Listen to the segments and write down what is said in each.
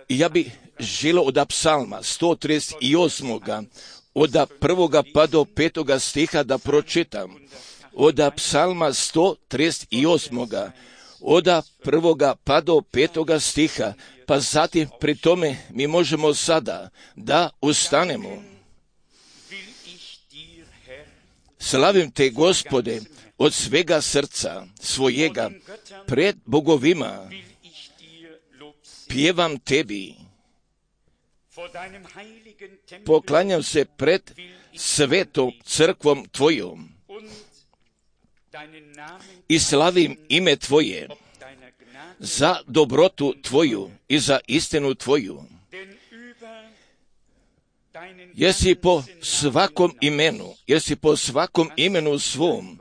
Ja bi želio od psalma 138. od 1. pa do 5. stiha da pročitam. Od psalma 138. od 1. pa do 5. stiha, pa zatim pri tome mi možemo sada da ustanemo. Slavim te, Gospode, od svega srca svojega, pred bogovima, pjevam tebi. Poklanjam se pred svetom crkvom tvojom i slavim ime tvoje za dobrotu tvoju i za istinu tvoju. Jesi po svakom imenu svom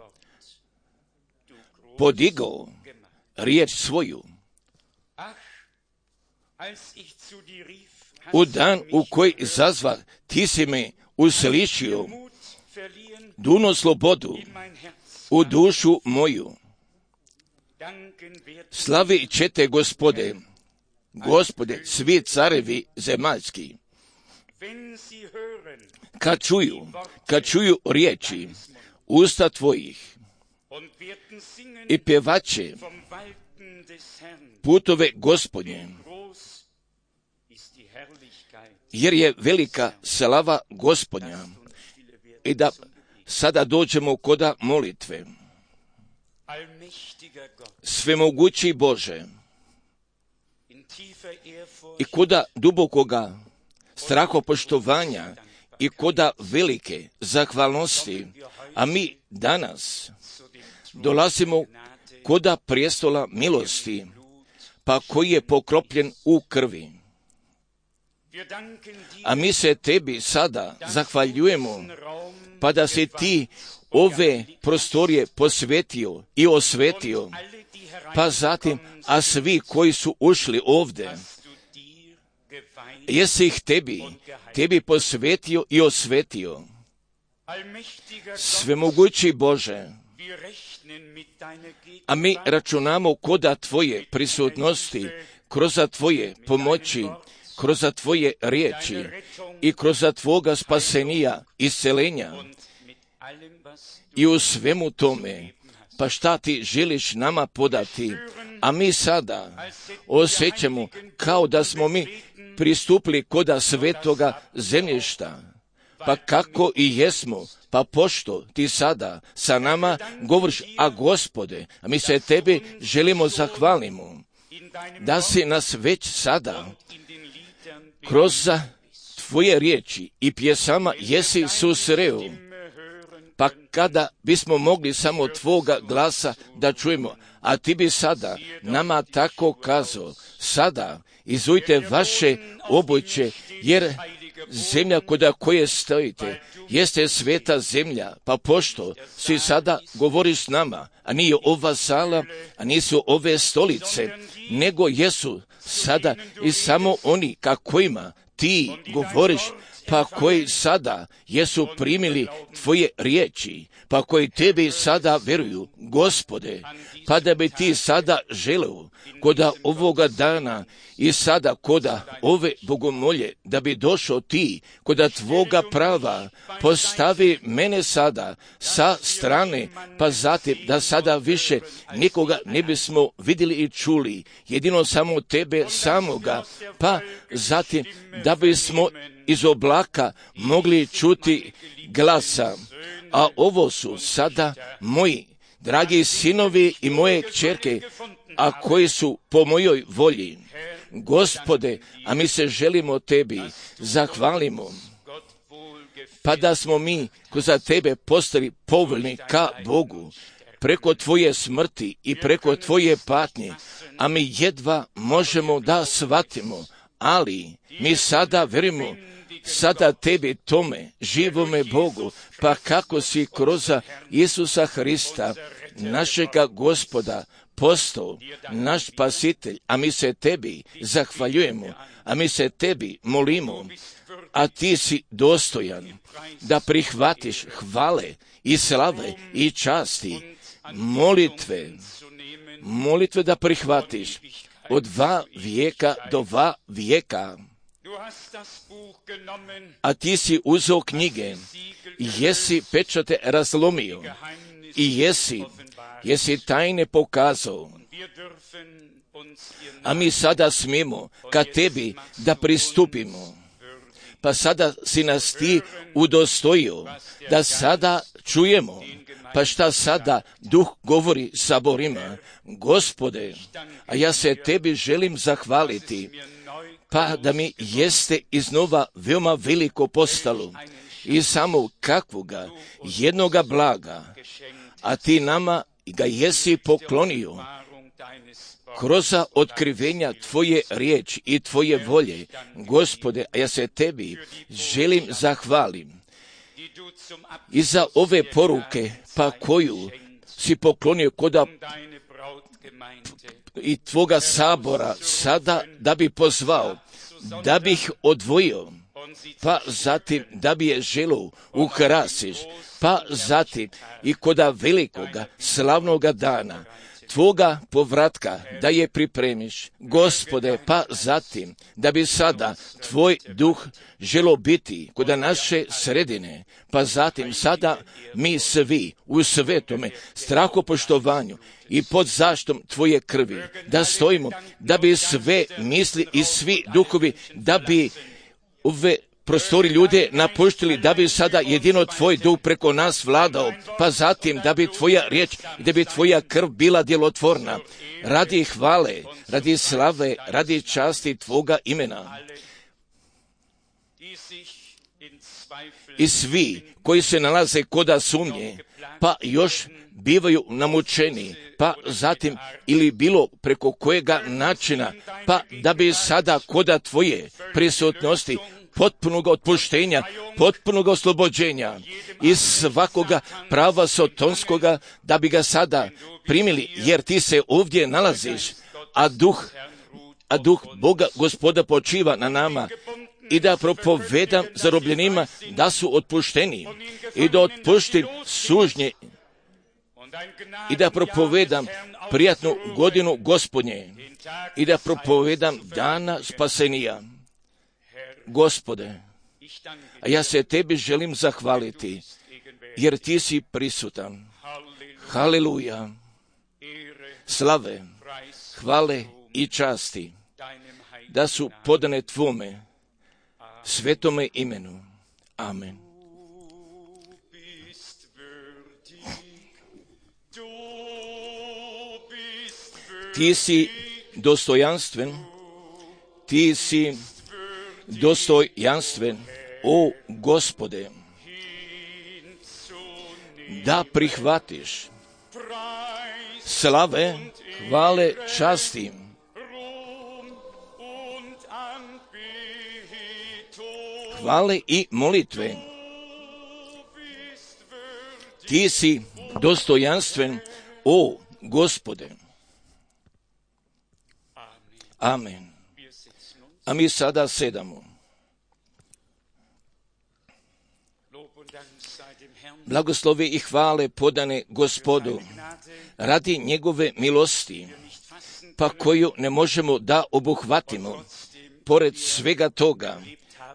podigao riječ svoju. U dan u koji zazva, ti si me uslišio, duno slobodu u dušu moju. Slavi ćete, Gospode, svi carevi zemaljski. Kad čuju riječi usta tvojih i pjevaće putove Gospodnje, jer je velika slava Gospodnja. I da sada dođemo koda molitve. Svemogući Bože, i koda dubokoga strahopoštovanja i koda velike zahvalnosti, a mi danas dolazimo koda prijestola milosti, pa koji je pokropljen u krvi. A mi se tebi sada zahvaljujemo, pa da si ti ove prostorije posvetio i osvetio, pa zatim, a svi koji su ušli ovdje, jesi ih tebi posvetio i osvetio. Svemogući Bože, a mi računamo koda tvoje prisutnosti, kroz tvoje pomoći, kroz tvoje riječi i kroz tvoga spasenija, iscelenja i u svemu tome, pa šta ti želiš nama podati, a mi sada osjećamo kao da smo mi pristupili koda svetoga zemljišta, pa kako i jesmo, pa pošto ti sada sa nama govoriš, a Gospode, a mi se tebi želimo zahvalimo, da si nas već sada kroz tvoje riječi i pjesama jesi susreo, pa kada bismo mogli samo tvoga glasa da čujemo, a ti bi sada nama tako kazao, sada izujte vaše obuće, jer zemlja koda koje stojite jeste sveta zemlja, pa pošto si sada govoriš s nama, a nije ova sala, a nisu ove stolice, nego jesu sada i samo oni kakvima ti govoriš, pa koji sada jesu primili tvoje riječi, pa koji tebi sada veruju, Gospode, pa da bi ti sada želeo koda ovoga dana i sada koda ove bogomolje, da bi došao ti koda tvoga prava, postavi mene sada sa strane, pa zatim da sada više nikoga ne bismo vidjeli i čuli, jedino samo tebe samoga, pa zatim da bismo iz oblaka mogli čuti glasa. A ovo su sada moji dragi sinovi i moje kćerke, a koji su po mojoj volji. Gospode, a mi se želimo tebi zahvalimo, pa da smo mi kroz tebe postali povoljni ka Bogu, preko tvoje smrti i preko tvoje patnje, a mi jedva možemo da shvatimo, ali mi sada verimo sada tebi tome, živome Bogu, pa kako si kroz Isusa Hrista, našega Gospoda, postao naš spasitelj, a mi se tebi zahvaljujemo, a mi se tebi molimo, a ti si dostojan da prihvatiš hvale i slave i časti, molitve, molitve da prihvatiš od 2 vijeka do 2 vijeka. A ti si uzeo knjige, jesi pečate razlomio i jesi tajne pokazao. A mi sada smijemo ka tebi da pristupimo. Pa sada si nas ti udostojio, da sada čujemo. Pa šta sada Duh govori saborima? Gospode, a ja se tebi želim zahvaliti, pa da mi jeste iznova veoma veliko postalo i samo kakvoga jednoga blaga, a ti nama ga jesi poklonio kroz otkrivenja tvoje riječi i tvoje volje. Gospode, a ja se tebi želim zahvalim i za ove poruke, pa koju si poklonio koda i tvoga sabora sada da bi pozvao, da bi ih odvojio, pa zatim da bi je želo ukrasiš, pa zatim i koda velikoga slavnoga dana tvoga povratka da je pripremiš, Gospode, pa zatim da bi sada tvoj duh želo biti kod naše sredine, pa zatim sada mi svi u svetome strahopoštovanju i pod zaštom tvoje krvi da stojimo, da bi sve misli i svi duhovi, da bi ove prostori ljude napuštili, da bi sada jedino tvoj duh preko nas vladao, pa zatim da bi tvoja riječ i da bi tvoja krv bila djelotvorna, radi hvale, radi slave, radi časti tvoga imena. I svi koji se nalaze koda sumnje, pa još bivaju namučeni, pa zatim ili bilo preko kojega načina, pa da bi sada koda tvoje prisutnosti potpunog otpuštenja, potpunog oslobođenja i svakoga prava sotonskoga, da bi ga sada primili, jer ti se ovdje nalaziš, a duh Boga Gospoda počiva na nama, i da propovedam zarobljenima da su otpušteni i da otpuštim sužnje i da propovedam prijatnu godinu Gospodnje i da propovedam dana spasenija. Gospode, a ja se tebi želim zahvaliti, jer ti si prisutan. Haleluja, slave, hvale i časti, da su podane tvome svetome imenu. Amen. Ti si dostojanstven, ti si dostojanstven, o Gospode, da prihvatiš slave, hvale, časti, hvale i molitve. Ti si dostojanstven, o Gospode. Amen. A mi sada sedamo. Blagoslovi i hvale podane Gospodu radi njegove milosti, pa koju ne možemo da obuhvatimo. Pored svega toga,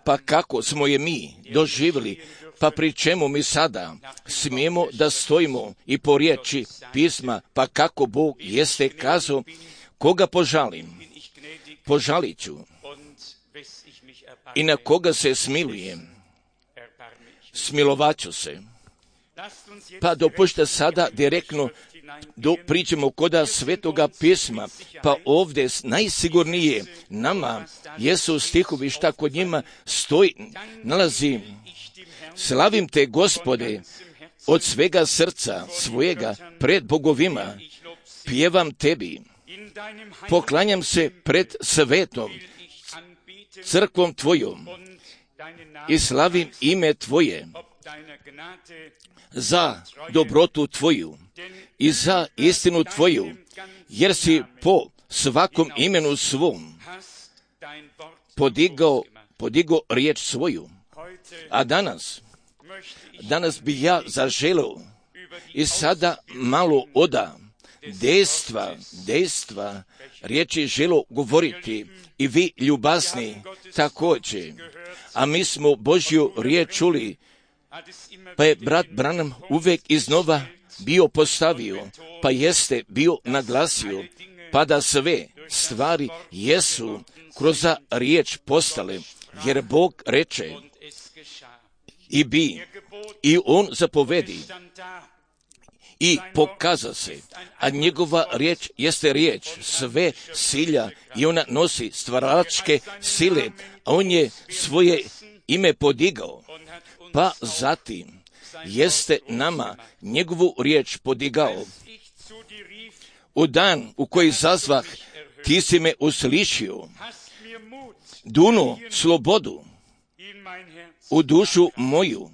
pa kako smo je mi doživjeli, pa pri čemu mi sada smijemo da stojimo i po riječi pisma, pa kako Bog jeste kazao, koga požalim, požalit ću, i na koga se smilujem, smilovat ću se. Pa dopušta sada direktno priđemo koda svetoga pisma, pa ovdje najsigurnije nama jesu stihovi šta kod njima stoji, nalazi: slavim te, Gospode, od svega srca svojega pred bogovima, pjevam tebi, poklanjam se pred svetom crkvom tvojom i slavim ime tvoje za dobrotu tvoju i za istinu tvoju, jer si po svakom imenu svom podigao riječ svoju. A danas bi ja zaželeo i sada malo oda dejstva riječi želo govoriti i vi ljubazni također. A mi smo Božju riječ čuli, pa je brat Branham uvijek iznova bio postavio, pa jeste bio naglasio, pa da sve stvari jesu kroz riječ postale, jer Bog reče i bi, i on zapovedi i pokaza se, a njegova riječ jeste riječ sve silja i ona nosi stvaračke sile, a on je svoje ime podigao, pa zatim jeste nama njegovu riječ podigao. U dan u koji zazvah, ti si me uslišio, duno slobodu u dušu moju.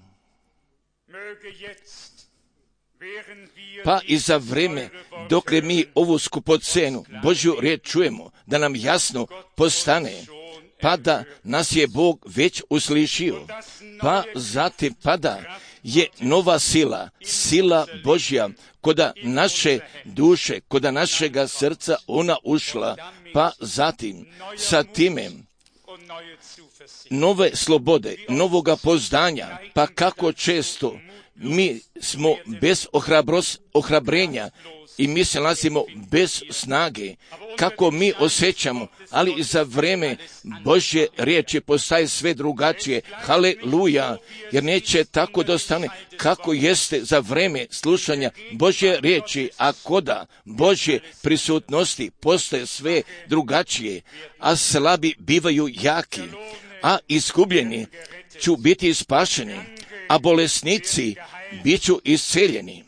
Pa i za vrijeme dokle mi ovu skupocenu Božju riječ čujemo, da nam jasno postane, pa da nas je Bog već uslišio, pa zatim pada je nova sila Božja, koda naše duše, koda našega srca ona ušla, pa zatim sa time nove slobode, novoga poznanja, pa kako često mi smo bez ohrabrenja i mi se nalazimo bez snage, kako mi osjećamo, ali i za vrijeme Božje riječi postaje sve drugačije. Haleluja, jer neće tako da ostane kako jeste za vrijeme slušanja Božje riječi, a koda Božje prisutnosti postaje sve drugačije, a slabi bivaju jaki, a izgubljeni ću biti spašeni, a bolesnici bit ću isceljeni.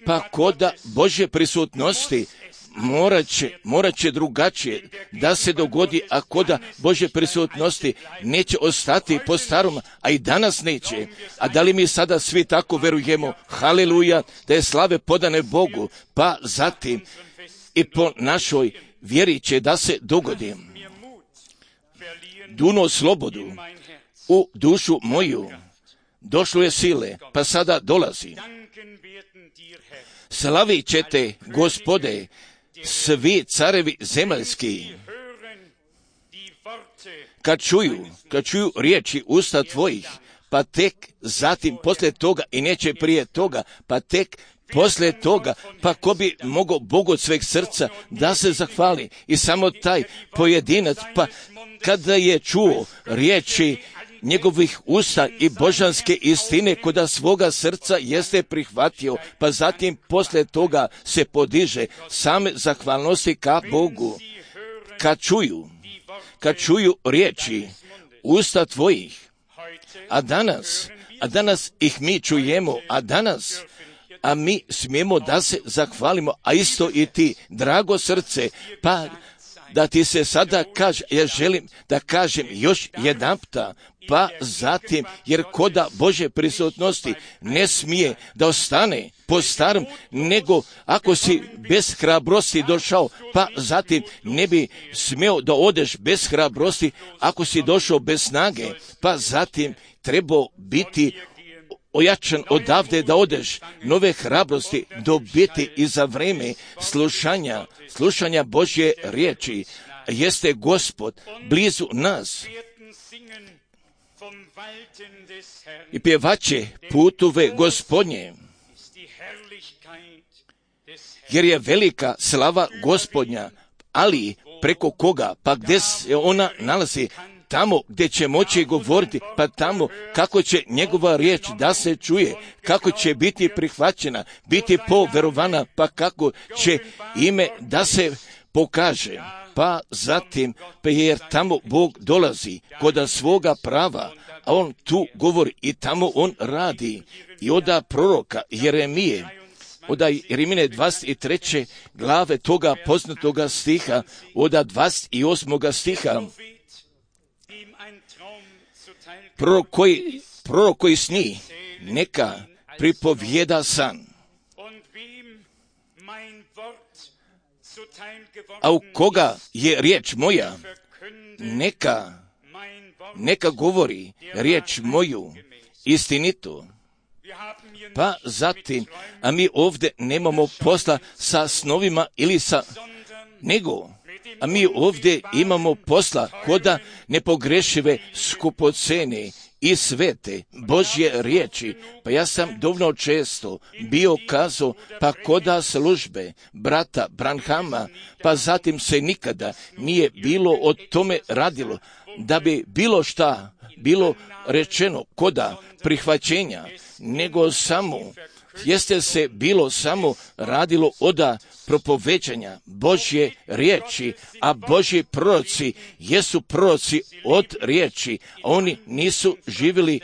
Pa koda Božje prisutnosti morat će drugačije da se dogodi, a koda Božje prisutnosti neće ostati po starom, a i danas neće. A da li mi sada svi tako verujemo, haleluja, da je slave podane Bogu, pa zatim i po našoj vjeri će da se dogodi. Duno slobodu u dušu moju, došlo je sile, pa sada dolazi. Slavit ćete, Gospode, svi carevi zemaljski, kad čuju riječi usta tvojih, pa tek zatim poslije toga i neće prije toga, pa tek poslije toga, pa ko bi mogao Bogu od sveg srca da se zahvali i samo taj pojedinac, pa kada je čuo riječi njegovih usta i božanske istine koda svoga srca jeste prihvatio, pa zatim poslije toga se podiže same zahvalnosti ka Bogu. Kad čuju riječi usta tvojih, a danas ih mi čujemo, a mi smijemo da se zahvalimo, a isto i ti, drago srce, pa da ti se sada kaže, ja želim da kažem još jedanputa, pa zatim, jer koda Božje prisutnosti ne smije da ostane po starom, nego ako si bez hrabrosti došao, pa zatim ne bi smio da odeš bez hrabrosti ako si došao bez snage, pa zatim trebao biti ojačan odavde da odeš, nove hrabrosti dobiti i za vrijeme slušanja Božje riječi. Jeste Gospod blizu nas i pjevaće putove Gospodnje, jer je velika slava Gospodnja, ali preko koga, pa gdje se ona nalazi, tamo gdje će moći govoriti, pa tamo kako će njegova riječ da se čuje, kako će biti prihvaćena, biti poverovana, pa kako će ime da se pokaže. Pa zatim, pa jer tamo Bog dolazi koda svoga prava, a on tu govori i tamo on radi. I oda proroka Jeremije, oda Jeremine 23. glave toga poznatoga stiha, oda 28. stiha, prorok koji sni, neka pripovjeda san. A u koga je riječ moja, neka govori riječ moju istinito. Pa zatim, a mi ovdje nemamo posla sa snovima ili a mi ovdje imamo posla koda nepogrešive, skupocene i svete Božje riječi. Pa ja sam dovoljno često bio kazao, pa koda službe brata Branhama, pa zatim se nikada nije bilo o tome radilo, da bi bilo šta bilo rečeno koda prihvaćenja, nego samo jeste se bilo samo radilo oda propoveđanja Božje riječi, a Božji proroci jesu proroci od riječi, a oni nisu živjeli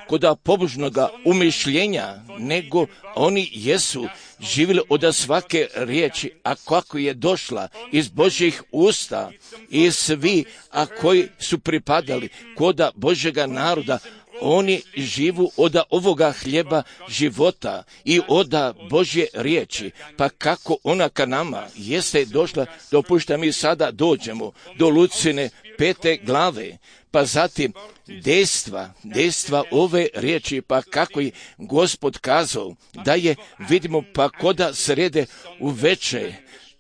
koda pobožnoga umišljenja, nego oni jesu živjeli od svake riječi, a kako je došla iz Božjih usta, i svi, a koji su pripadali koda Božjega naroda, oni živu od ovoga hljeba života i od Božje riječi. Pa kako ona ka nama jeste došla, dopušta mi sada dođemo do Lucine 5. glave, pa zatim dejstva ove riječi, pa kako je Gospod kazao da je, vidimo, pa koda srede uveče,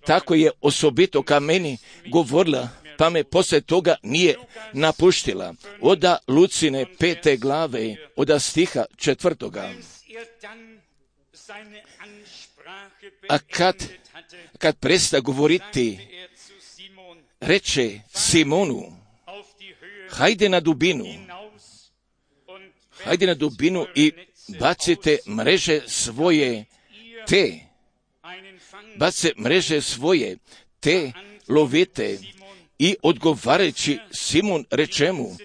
tako je osobito ka meni govorila, pa me poslije toga nije napuštila. Oda Lucine 5. glave, oda stiha 4. A kad presta govoriti, reče Simonu, hajde na dubinu i bacite mreže svoje, te lovite. I odgovarajući Simon reče mu,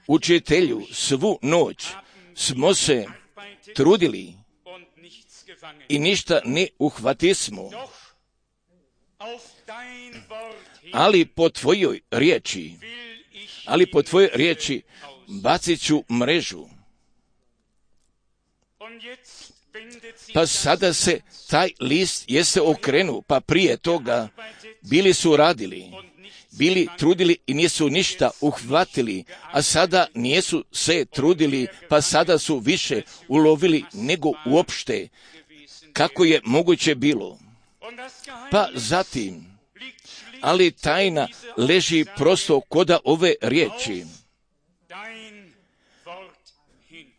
učitelju, svu noć smo se trudili i ništa ne uhvatismo, ali po tvojoj riječi bacit ću mrežu. Pa sada se taj list jeste okrenuo, pa prije toga bili su radili, bili trudili i nisu ništa uhvatili, a sada nisu se trudili, pa sada su više ulovili nego uopšte kako je moguće bilo. Pa zatim, ali tajna leži prosto koda ove riječi,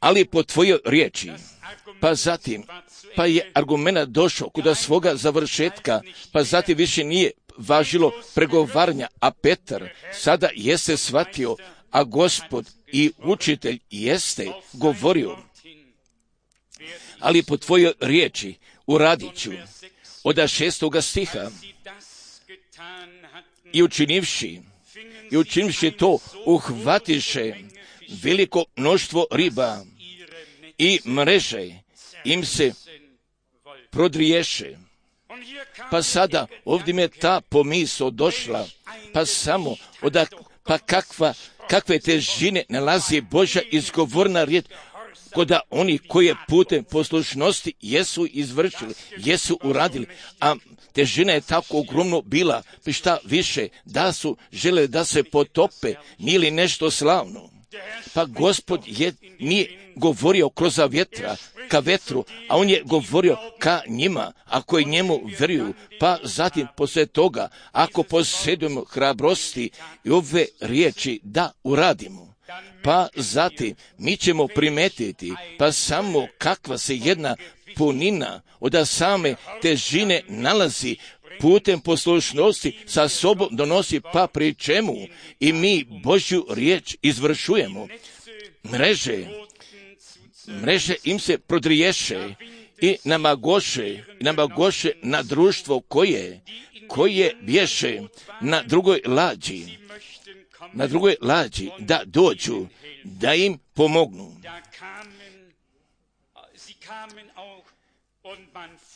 ali po tvojoj riječi. Pa zatim, pa je argument došao kuda svoga završetka, pa zatim više nije važilo pregovaranja, a Petar sada jeste shvatio, a Gospod i učitelj jeste govorio, ali po tvojoj riječi uradit ću. Od 6. stiha, i učinivši to, uhvatiše veliko mnoštvo riba i mreže im se prodriješe. Pa sada ovdje mi je ta pomisao došla, pa samo kakve težine nalazi Božja izgovorna riječ koda oni koje putem poslušnosti jesu izvršili, jesu uradili, a težina je tako ogromno bila, pa šta više, da su žele da se potope, nije li nešto slavno. Pa Gospod nije govorio kroz vjetra ka vetru, a on je govorio ka njima, ako je njemu vjeruju. Pa zatim poslije toga, ako posjedujemo hrabrosti i ove riječi da uradimo, pa zatim mi ćemo primetiti, pa samo kakva se jedna punina od same težine nalazi putem poslušnosti sa sobom donosi, pa pri čemu i mi Božju riječ izvršujemo. Mreže im se prodriješe i namagoše na društvo koje bješe na drugoj lađi da dođu, da im pomognu.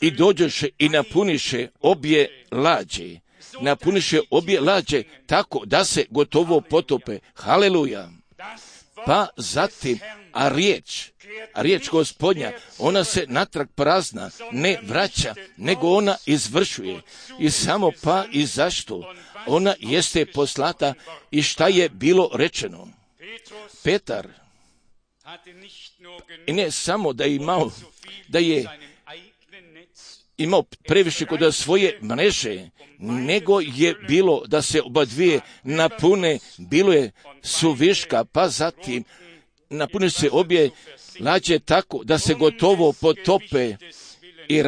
I dođoše i napuniše obje lađe tako da se gotovo potope. Haleluja! Pa zatim, a riječ Gospodnja, ona se natrag prazna ne vraća, nego ona izvršuje. I samo pa i zašto? Ona jeste poslata i šta je bilo rečeno. Petar I ne samo da je imao previše kod svoje mreže, nego je bilo da se oba dvije napune, bilo je suviška, pa zatim napune se obje lađe tako da se gotovo potope i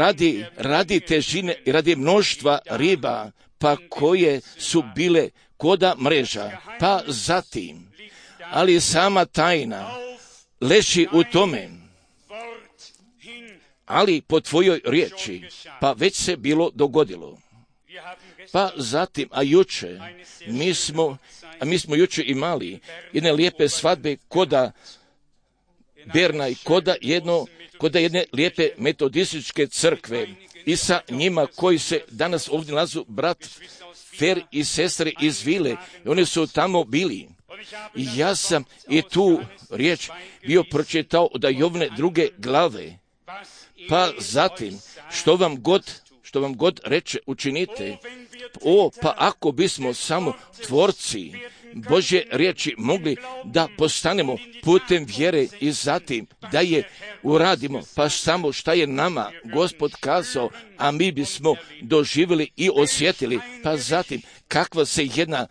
radi težine i radi mnoštva riba, pa koje su bile koda mreža, pa zatim, ali sama tajna leži u tome, ali po tvojoj riječi, pa već se bilo dogodilo. Pa zatim, a mi smo juče imali jedne lijepe svadbe koda Berna i koda jedne lijepe metodističke crkve i sa njima koji se danas ovdje nalazu brat Fer i sestre iz Vile, oni su tamo bili. I ja sam i tu riječ bio pročitao od Jovne 2. glave. Pa zatim, što vam god reče, učinite. Pa ako bismo samo tvorci Božje riječi mogli da postanemo putem vjere i zatim da je uradimo, pa samo šta je nama Gospod kazao, a mi bismo doživjeli i osjetili, pa zatim kakva se jedna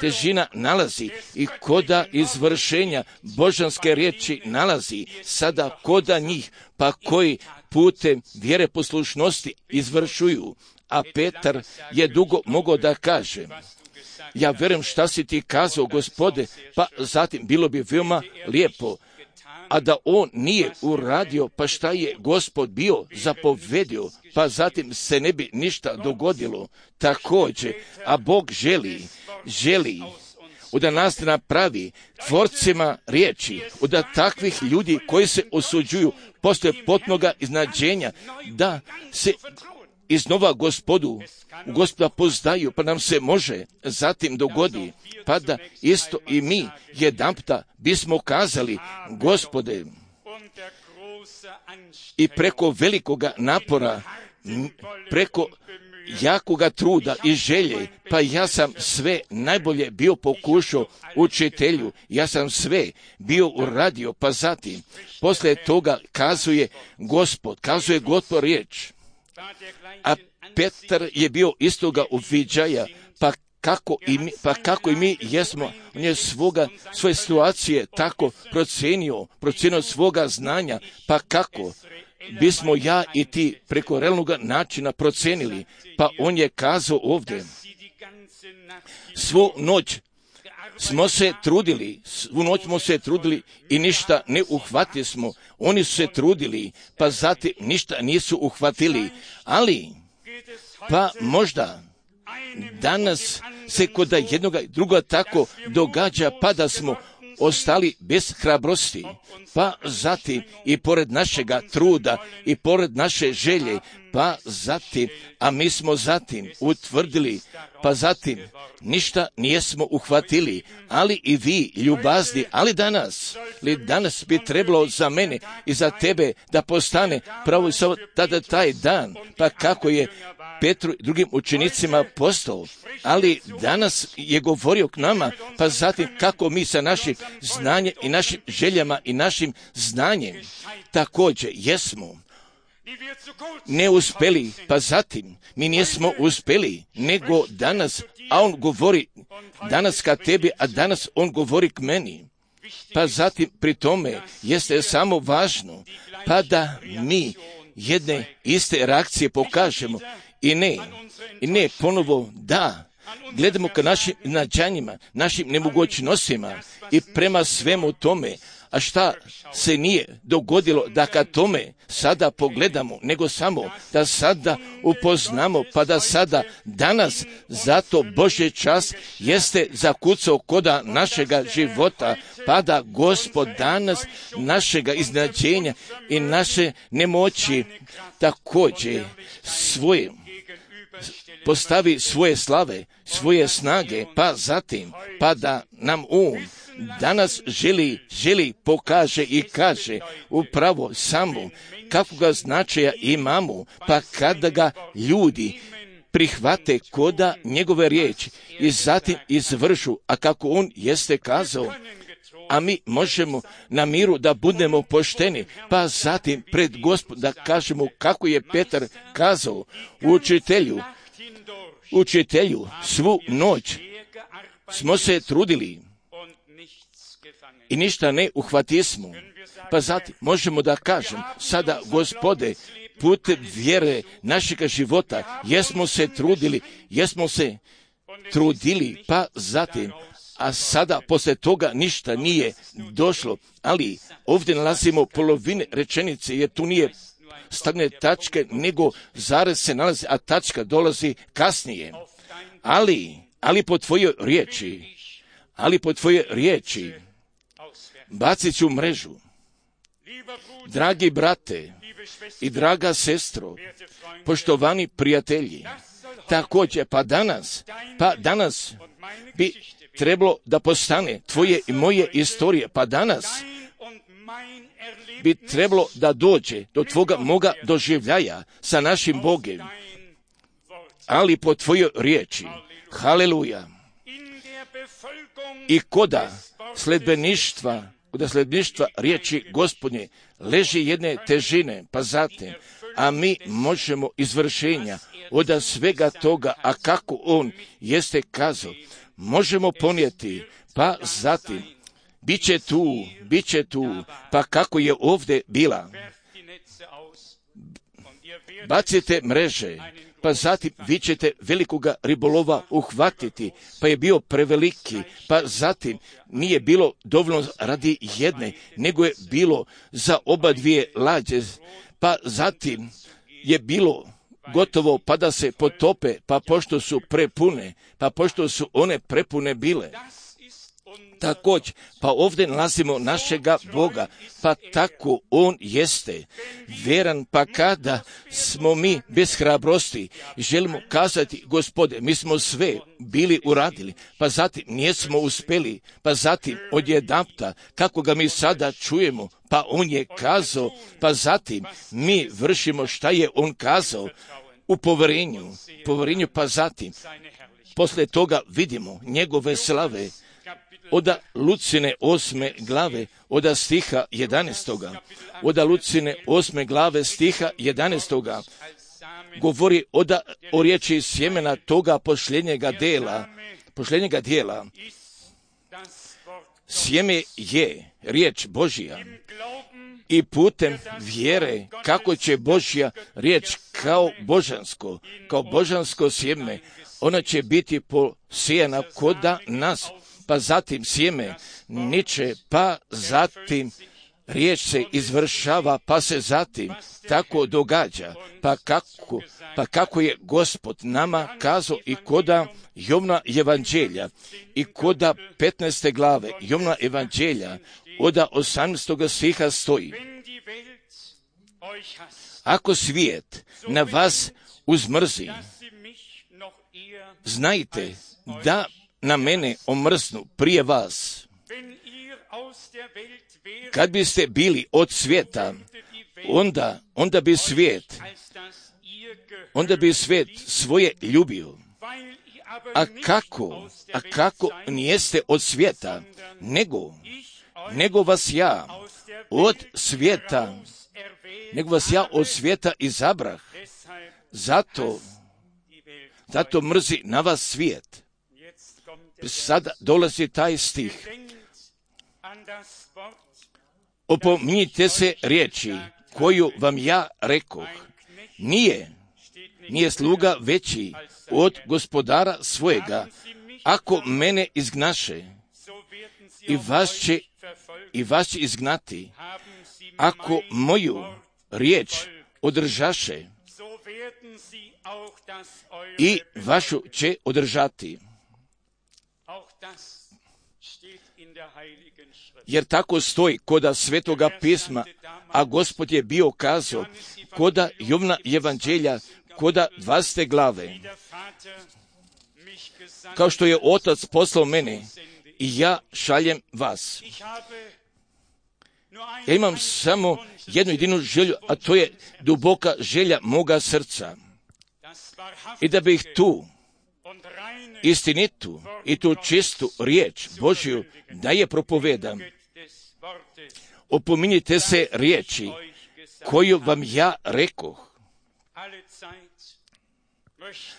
težina nalazi i koda izvršenja božanske riječi nalazi sada koda njih, pa koji putem vjere poslušnosti izvršuju. A Petar je dugo mogao da kaže, ja vjerujem šta si ti kazao, Gospode, pa zatim bilo bi veoma lijepo, a da on nije uradio, pa šta je Gospod bio zapovedio, pa zatim se ne bi ništa dogodilo. Također, a Bog želi da nas napravi tvorcima riječi, da takvih ljudi koji se osuđuju poslije potpunoga iznađenja, da se iznova Gospoda poznaju, pa nam se može zatim dogodi, pa da isto i mi jedanputa bismo kazali, Gospode, i preko velikoga napora, preko jakoga truda i želje, pa ja sam sve najbolje bio pokušao učitelju, ja sam sve bio uradio, pa zatim, poslije toga kazuje Gospod riječ. A Petar je bio istoga uviđaja, pa kako i mi jesmo, on je svoje situacije tako procenio svoga znanja, pa kako bismo ja i ti preko realnog načina procenili, pa on je kazao ovdje, svu noć smo se trudili i ništa ne uhvatili smo. Oni su se trudili, pa zatim ništa nisu uhvatili. Ali, pa možda danas se kod jednoga i druga tako događa, pa da smo ostali bez hrabrosti, pa zatim i pored našega truda i pored naše želje, pa zatim, a mi smo zatim utvrdili, pa zatim ništa nijesmo uhvatili, ali i vi ljubazni, ali danas bi trebalo za mene i za tebe da postane pravo tada taj dan, pa kako je Petru i drugim učenicima postao, ali danas je govorio k nama, pa zatim kako mi sa našim znanjem i našim željama i našim znanjem također jesmo ne uspjeli, pa zatim mi nismo uspjeli, nego danas, a on govori danas ka tebi, a danas on govori k meni. Pa zatim pri tome jeste samo važno, pa da mi jedne iste reakcije pokažemo i ne ponovo da gledamo ka našim nađanjima, našim nemogućnostima i prema svemu tome, a šta se nije dogodilo da ka tome sada pogledamo, nego samo da sada upoznamo, pa da sada danas zato Božji čas jeste zakucao koda našega života, pa da Gospod danas našega iznađenja i naše nemoći također postavi svoje slave, svoje snage, pa zatim, pa da nam on danas želi pokaže i kaže upravo samo kakvoga značaja imamo, pa kada ga ljudi prihvate koda njegove riječi i zatim izvršu, a kako on jeste kazao, a mi možemo na miru da budemo pošteni, pa zatim pred Gospodom da kažemo kako je Petar kazao, učitelju, svu noć smo se trudili i ništa ne uhvatismo. Pa zatim možemo da kažem, sada Gospode, putem vjere našega života, jesmo se trudili, pa zatim, a sada poslije toga ništa nije došlo, ali ovdje nalazimo polovine rečenice, jer tu nije stavljene tačke, nego zarez se nalazi, a tačka dolazi kasnije. Ali po tvojoj riječi, bacit ću mrežu. Dragi brate i draga sestro, poštovani prijatelji, također, pa danas bi trebalo da postane tvoje i moje istorije, pa danas bi trebalo da dođe do tvoga moga doživljaja sa našim Bogom, ali po tvojoj riječi, haleluja, i koda sledbeništva riječi Gospodnje leži jedne težine, pa zatim, a mi možemo izvršenja od svega toga, a kako on jeste kazao, možemo ponijeti, pa zatim, bit će tu, pa kako je ovdje bila. Bacite mreže, pa zatim vi ćete velikoga ribolova uhvatiti, pa je bio preveliki, pa zatim nije bilo dovoljno radi jedne, nego je bilo za oba dvije lađe, pa zatim je bilo gotovo pa da se potope, pa pošto su one prepune bile. Također, pa ovdje nalazimo našega Boga, pa tako on jeste vjeran, pa kada smo mi bez hrabrosti želimo kazati, Gospode, mi smo sve bili uradili, pa zatim nismo uspjeli, pa zatim odjedanputa, kako ga mi sada čujemo, pa on je kazao, pa zatim mi vršimo šta je on kazao u poverenju, pa zatim poslije toga vidimo njegove slave, od Lucine 8. glave, od stiha 11. Od Lucine 8. glave stiha 11. govori o riječi sjemena toga posljednjega dijela. Sjeme je riječ Božja i putem vjere kako će Božja riječ kao božansko sjeme, ona će biti posijana koda nas, pa zatim sjeme niče, pa zatim riječ se izvršava, pa se zatim tako događa, pa kako je Gospod nama kazao i koda Jovna evanđelja i koda 15. glave Jovna evanđelja od 18. stiha stoji: ako svijet na vas uzmrzi, znajte da na mene omrznu prije vas. Kad biste bili od svijeta, onda bi svijet svoje ljubio. A kako nijeste od svijeta, nego vas ja od svijeta izabrah. Zato mrzi na vas svijet. Sada dolazi taj stih. Opominjite se riječi koju vam ja rekoh. Nije sluga veći od gospodara svojega. Ako mene izgnaše, i vas će izgnati. Ako moju riječ održaše, i vašu će održati. Jer tako stoji koda Svetoga pisma, a Gospod je bio kazao koda Jovna evanđelja, koda 20. glave. Kao što je Otac poslao mene, i ja šaljem vas. Ja imam samo jednu jedinu želju, a to je duboka želja moga srca. I da bih tu istinitu i tu čistu riječ Božju da je propovedam opominjite se riječi koju vam ja rekoh.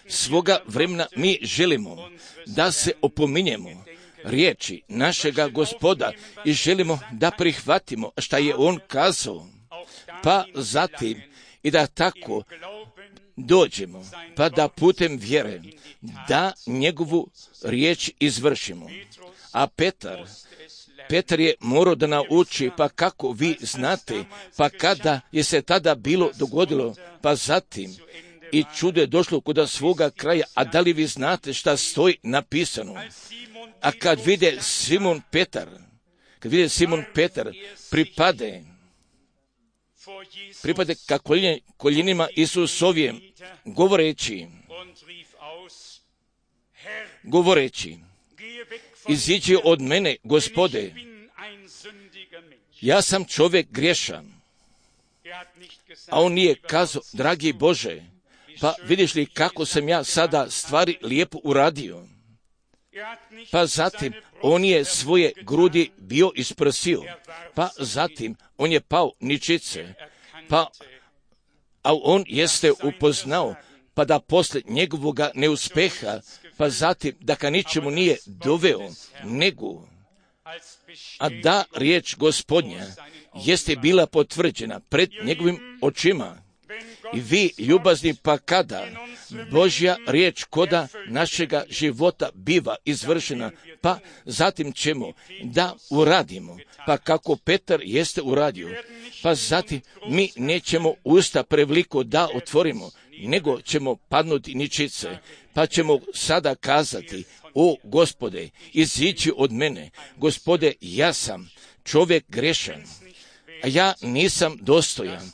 Svoga vremena mi želimo da se opominjemo riječi našega Gospoda i želimo da prihvatimo šta je on kazao, pa zatim i da tako dođemo, pa da putem vjere da njegovu riječ izvršimo. A Petar je morao da nauči, pa kako vi znate, pa kada je se tada bilo dogodilo, pa zatim i čudo je došlo kod svoga kraja, a da li vi znate šta stoji napisano? A kad vide Simon Petar pripade ka koljenima Isusovim, govoreći, iziđi od mene, Gospode, ja sam čovjek griješan. A on nije kazao, dragi Bože, pa vidiš li kako sam ja sada stvari lijepo uradio? Pa zatim on je svoje grudi bio isprsio, pa zatim on je pao ničice, a on jeste upoznao, pa da posle njegovoga neuspeha, pa zatim da ga ničemu nije doveo, nego, a da riječ Gospodnja jeste bila potvrđena pred njegovim očima. I vi, ljubazni, pa kada Božja riječ koda našega života biva izvršena, pa zatim ćemo da uradimo, pa kako Petar jeste uradio, pa zatim mi nećemo usta preveliko da otvorimo, nego ćemo padnuti ničice, pa ćemo sada kazati, o Gospode, iziđi od mene, Gospode, ja sam čovjek grešan, a ja nisam dostojan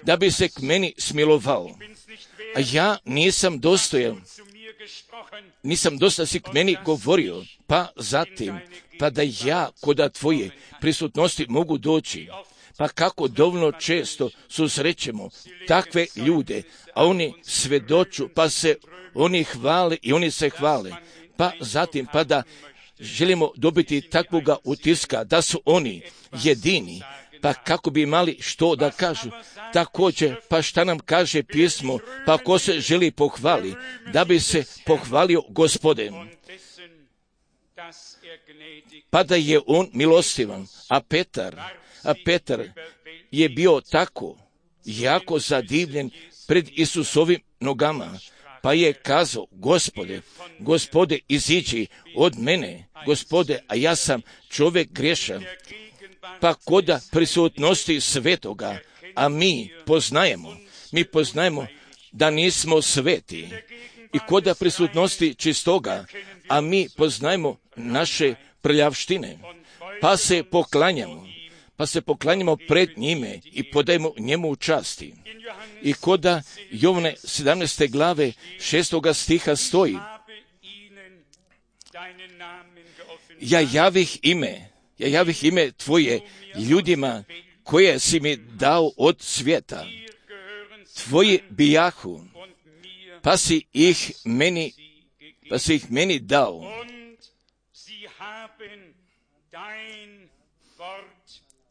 da bi se k meni smilovao, a ja nisam dostojan si k meni govorio, pa zatim, pa da ja koda tvoje prisutnosti mogu doći, pa kako dovoljno često susrećemo takve ljude, a oni svedoču, pa se oni hvale i oni se hvale, pa zatim, pa da želimo dobiti takvoga utiska da su oni jedini, pa kako bi imali što da kažu. Također, pa šta nam kaže pismo, pa ko se želi pohvali, da bi se pohvalio Gospodem, pa da je on milostivan. A Petar je bio tako jako zadivljen pred Isusovim nogama, pa je kazao, Gospode, iziđi od mene, Gospode, a ja sam čovjek griješan. Pa koda prisutnosti svetoga, a mi poznajemo da nismo sveti, i koda prisutnosti čistoga, a mi poznajemo naše prljavštine, pa se poklanjamo pred njime i podajemo njemu časti. I koda Jovane 17. glave 6. stiha stoji, ja javih ime tvoje ljudima koje si mi dao od svijeta. Tvoji bijahu, pa si ih meni dao.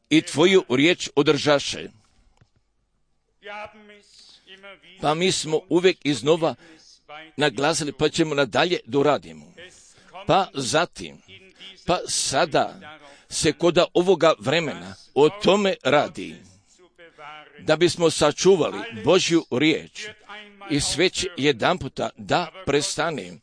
I tvoju riječ održaše. Pa mi smo uvijek iznova naglasili, pa ćemo nadalje doradimo. Pa zatim, pa sada se koda ovoga vremena o tome radi, da bismo sačuvali Božju riječ i sve će jedanputa da prestane,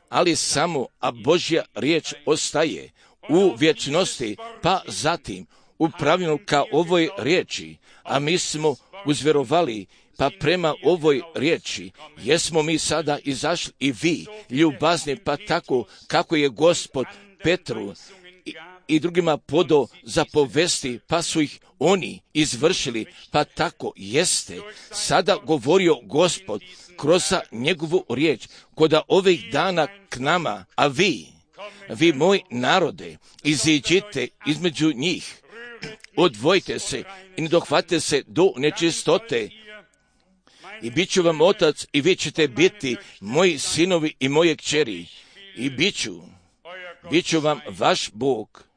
ali samo, a Božja riječ ostaje u vječnosti, pa zatim upravljeno ka ovoj riječi, a mi smo uzvjerovali, pa prema ovoj riječi jesmo mi sada izašli i vi, ljubazni, pa tako kako je Gospod Petru i drugima podao zapovesti, pa su ih oni izvršili, pa tako jeste sada govorio Gospod kroz njegovu riječ, koda ovih dana k nama, a vi moj narode, iziđite između njih, odvojite se i ne dohvatite se do nečistote, i bit ću vam otac i vi ćete biti moji sinovi i moje kćeri, i bit ću vam vaš Bog.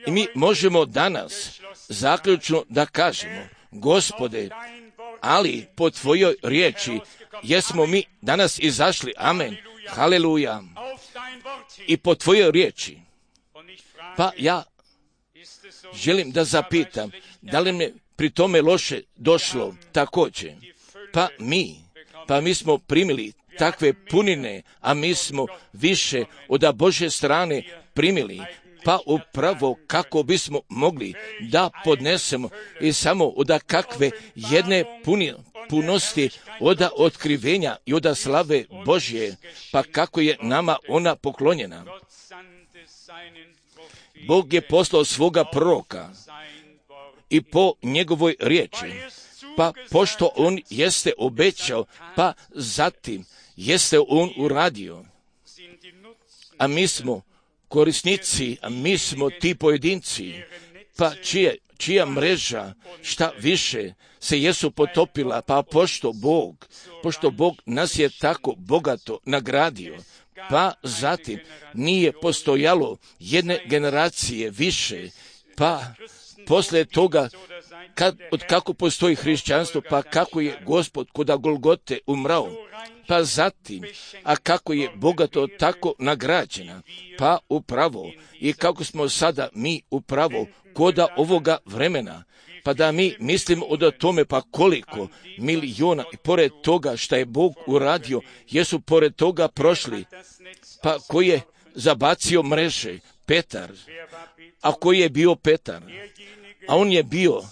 I mi možemo danas zaključno da kažemo, Gospode, ali po Tvojoj riječi jesmo mi danas izašli, amen, haleluja, i po Tvojoj riječi. Pa ja želim da zapitam, da li mi pri tome loše došlo također? Pa mi smo primili takve punine, a mi smo više od Božje strane primili, pa upravo kako bismo mogli da podnesemo i samo od kakve jedne punosti od otkrivenja i od slave Božje, pa kako je nama ona poklonjena. Bog je poslao svoga proroka i po njegovoj riječi, pa pošto on jeste obećao, pa zatim jeste on uradio. A mi smo korisnici, a mi smo ti pojedinci, pa čija mreža šta više se jesu potopila, pa pošto Bog nas je tako bogato nagradio, pa zatim nije postojalo jedne generacije više, pa poslije toga od kako postoji hrišćanstvo, pa kako je Gospod kod Golgote umrao, pa zatim, a kako je bogato tako nagrađena, pa upravo i kako smo sada mi upravo koda ovoga vremena, pa da mi mislimo o tome, pa koliko miliona i pored toga što je Bog uradio, jesu pored toga prošli, pa ko je zabacio mreže? Petar. A koji je bio Petar? A on je bio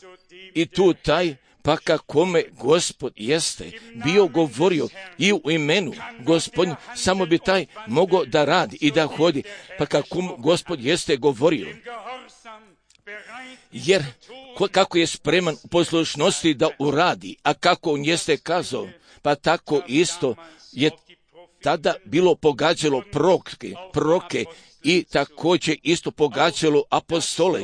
i tu taj, pa kakome Gospod jeste bio govorio i u imenu Gospodnje, samo bi taj mogao da radi i da hodi, pa kako Gospod jeste govorio. Jer kako je spreman u poslušnosti da uradi, a kako on jeste kazao, pa tako isto je tada bilo pogađalo proroke i također isto pogađalo apostole.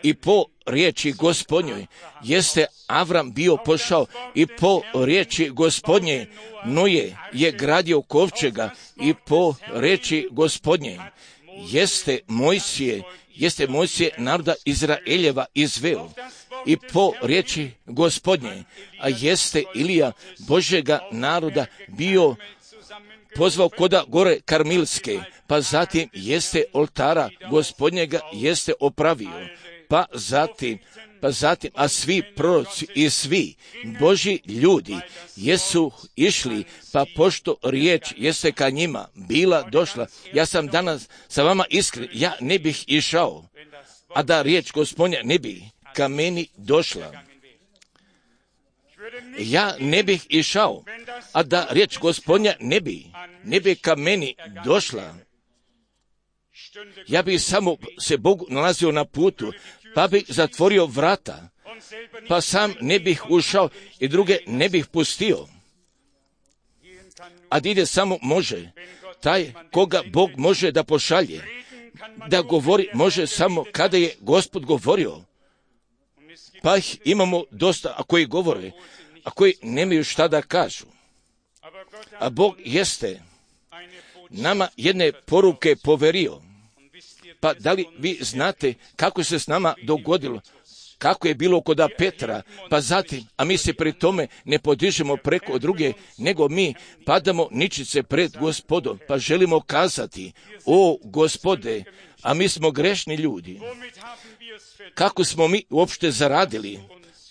I po riječi Gospodnjoj jeste Avram bio pošao i po riječi Gospodnje Noje je gradio kovčega i po riječi Gospodnje jeste Mojsije naroda Izraeljeva izveo i po riječi Gospodnje, a jeste Ilija Božjega naroda bio pozvao koda gore Karmilske, pa zatim jeste oltara Gospodnjega jeste opravio, pa zatim, a svi proroci i svi Božji ljudi jesu išli, pa pošto riječ jeste ka njima bila došla, ja sam danas sa vama iskren, ja ne bih išao, a da riječ Gospodnja ne bi ka meni došla. Ja ne bih išao, a da riječ Gospodnja ne bi ka meni došla. Ja bih samo se Bogu nalazio na putu, pa bih zatvorio vrata, pa sam ne bih ušao i druge ne bih pustio. A ide samo može, taj koga Bog može da pošalje, da govori može samo kada je Gospod govorio. Pa ih imamo dosta, a koji govore, a koji nemaju šta da kažu. A Bog jeste nama jedne poruke poverio. Pa da li vi znate kako se s nama dogodilo, kako je bilo kod Petra, pa zatim, a mi se pri tome ne podižemo preko druge, nego mi padamo ničice pred Gospodom, pa želimo kazati, o Gospode, a mi smo grešni ljudi. Kako smo mi uopšte zaradili,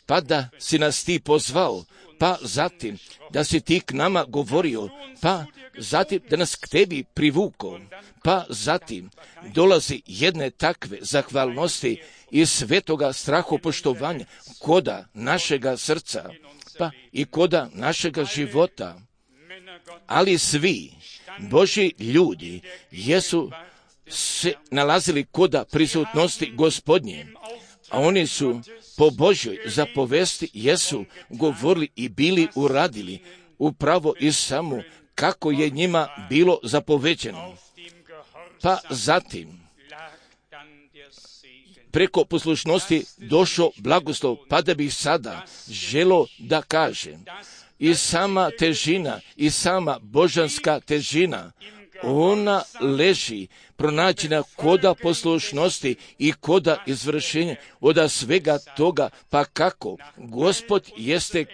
pa da si nas ti pozvao, pa zatim da si ti k nama govorio, pa zatim da nas k tebi privukao, pa zatim dolazi jedne takve zahvalnosti i svetoga strahopoštovanja koda našega srca, pa i koda našega života. Ali svi Božji ljudi jesu se nalazili koda prisutnosti Gospodnje, a oni su po Božjoj zapovesti jesu govorili i bili uradili upravo i samo kako je njima bilo zapoveđeno. Pa zatim preko poslušnosti došao blagoslov, pa da bih sada želo da kažem i sama težina i sama božanska težina ona leži pronađena koda poslušnosti i koda izvršenja od svega toga, pa kako Gospod jeste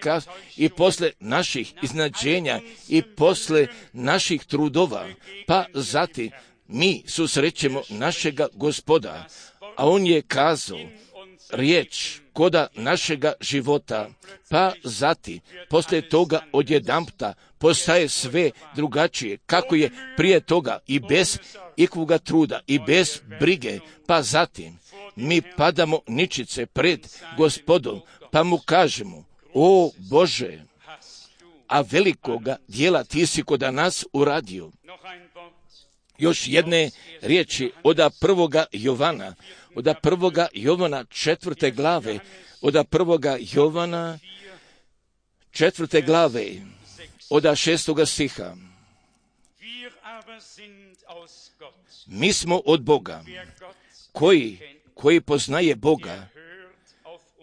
i posle naših iznadženja i posle naših trudova, pa zatim mi susrećemo našega Gospoda, a on je kazao riječ koda našega života, pa zatim poslije toga odjedanputa postaje sve drugačije, kako je prije toga i bez ikvoga truda i bez brige, pa zatim mi padamo ničice pred Gospodom, pa mu kažemo, o Bože, a velikoga dijela ti si koda nas uradio. Još jedne riječi od 1. Jovana, od 1. Jovana 4. glave, od 1. Jovana 4. glave, od 6. stiha. Mi smo od Boga, koji poznaje Boga,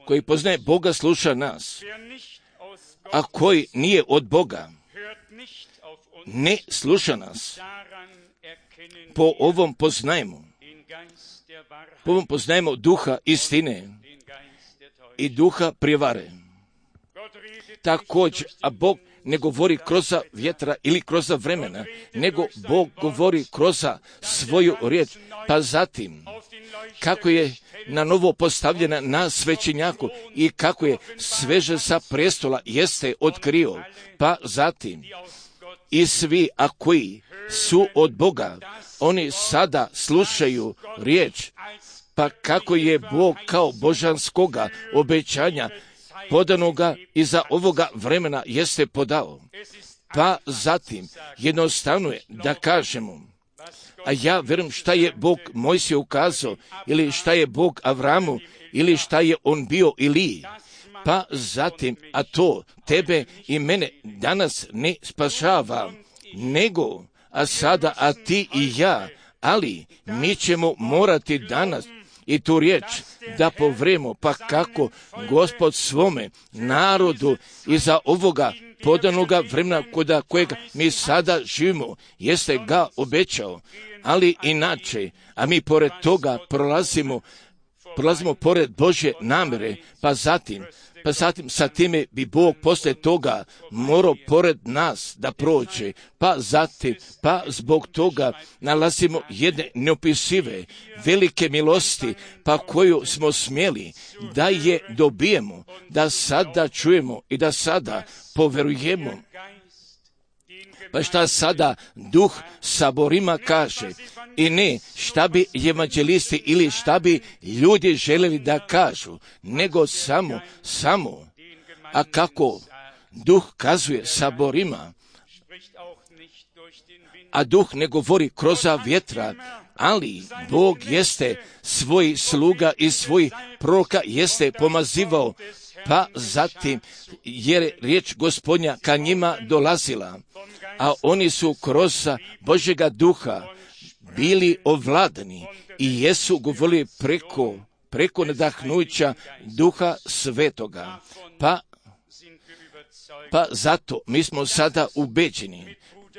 koji poznaje Boga sluša nas, a koji nije od Boga, ne sluša nas. Po ovom poznajemo duha istine i duha prijevare. Također, a Bog ne govori kroz vjetra ili kroz vremena, nego Bog govori kroz svoju riječ, pa zatim kako je na novo postavljena na svećenjaku i kako je sveže sa prestola jeste otkrio, pa zatim i svi, a koji su od Boga, oni sada slušaju riječ, pa kako je Bog kao božanskoga obećanja podanoga iza ovoga vremena jeste podao. Pa zatim jednostavno je da kažemo, a ja vjerujem šta je Bog Mojsiju ukazao, ili šta je Bog Avramu, ili šta je on bio Iliji. Pa zatim, a to tebe i mene danas ne spašava, nego, a sada, a ti i ja, ali mi ćemo morati danas i tu riječ da povremo, pa kako Gospod svome narodu iza ovoga podanoga vremena koda kojega mi sada živimo, jeste ga obećao, ali inače, a mi pored toga prolazimo pored Božje namjere, pa zatim sa time bi Bog poslije toga morao pored nas da prođe, pa zbog toga nalazimo jedne neopisive velike milosti, pa koju smo smjeli da je dobijemo, da sada čujemo i da sada poverujemo. Pa šta sada Duh saborima kaže, i ne šta bi evanđelisti ili šta bi ljudi željeli da kažu, nego samo, a kako Duh kazuje saborima, a Duh ne govori kroz vjetra, ali Bog jeste svoj sluga i svoj proroka jeste pomazivao, pa zatim jer riječ Gospodnja ka njima dolazila, a oni su kroz Božjega duha bili ovladani i jesu govorili preko nadahnuća Duha Svetoga. Pa zato mi smo sada ubeđeni,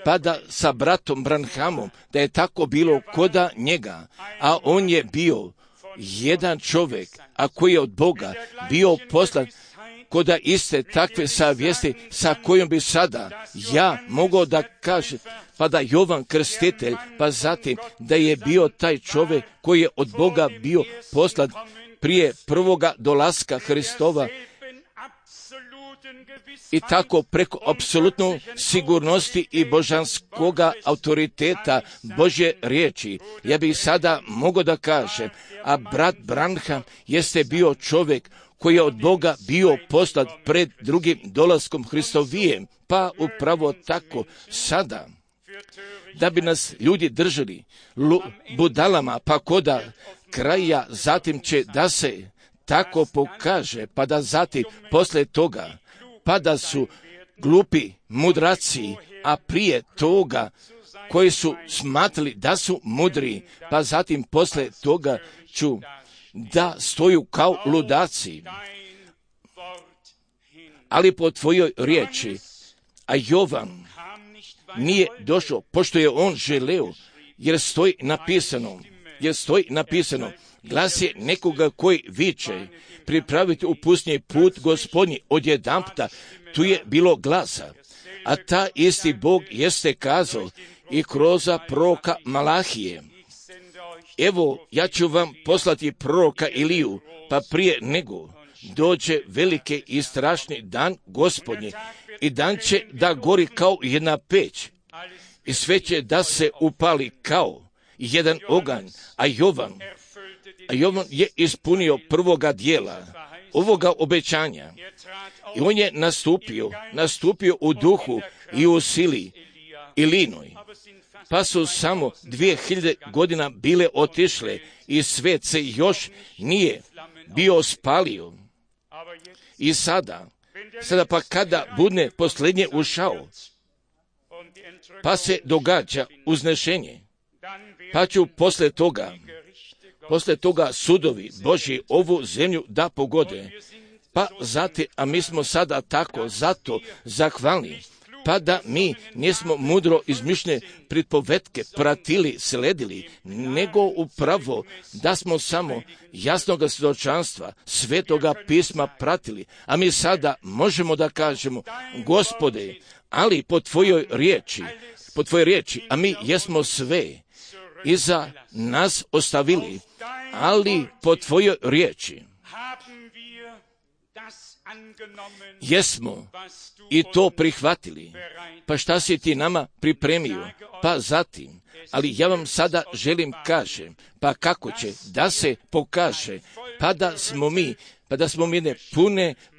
pa da sa bratom Branhamom, da je tako bilo koda njega, a on je bio jedan čovjek, a koji je od Boga bio poslan koda iste takve savjesti sa kojom bi sada ja mogao da kažem, pa da Jovan Krstitelj, pa zatim da je bio taj čovjek koji je od Boga bio poslan prije prvoga dolaska Hristova, i tako preko apsolutno sigurnosti i božanskoga autoriteta Božje riječi. Ja bih sada mogao da kažem, a brat Branham jeste bio čovjek koji je od Boga bio poslat pred drugim dolaskom Hristovijem, pa upravo tako sada, da bi nas ljudi držali budalama, pa koda kraja zatim će da se tako pokaže, pa da zatim poslije toga, pa da su glupi mudraci, a prije toga koji su smatrali da su mudri, pa zatim poslije toga ću da stoju kao ludaci, ali po tvojoj riječi. A Jovan nije došao, pošto je on želeo, jer stoji napisano, glas je nekoga koji viče, pripraviti u pustinji put Gospodnji. Odjedanputa tu je bilo glasa, a ta isti Bog jeste kazao i kroz proroka Malahije: evo, ja ću vam poslati proroka Iliju, pa prije nego dođe veliki i strašni dan Gospodnji, i dan će da gori kao jedna peć, i sve će da se upali kao jedan oganj. A Jovan je ispunio prvoga dijela ovoga obećanja, i on je nastupio u duhu i u sili Ilinoj. Pa su samo 2000 godina bile otišle i svet se još nije bio spalio. I sada pa kada bude posljednje ušao, pa se događa uznešenje, pa ću posle toga sudovi Božji ovu zemlju da pogode. Pa zatim, a mi smo sada tako zato zahvalni, pa da mi nismo mudro izmišljene pripovetke pratili, sledili, nego upravo da smo samo jasnoga svjedočanstva Svetoga pisma pratili. A mi sada možemo da kažemo: Gospode, ali po tvojoj riječi, a mi jesmo sve iza nas ostavili, ali po tvojoj riječi jesmo i to prihvatili. Pa šta si ti nama pripremio? Pa zatim, ali ja vam sada želim kažem, pa kako će da se pokaže, pa da smo mi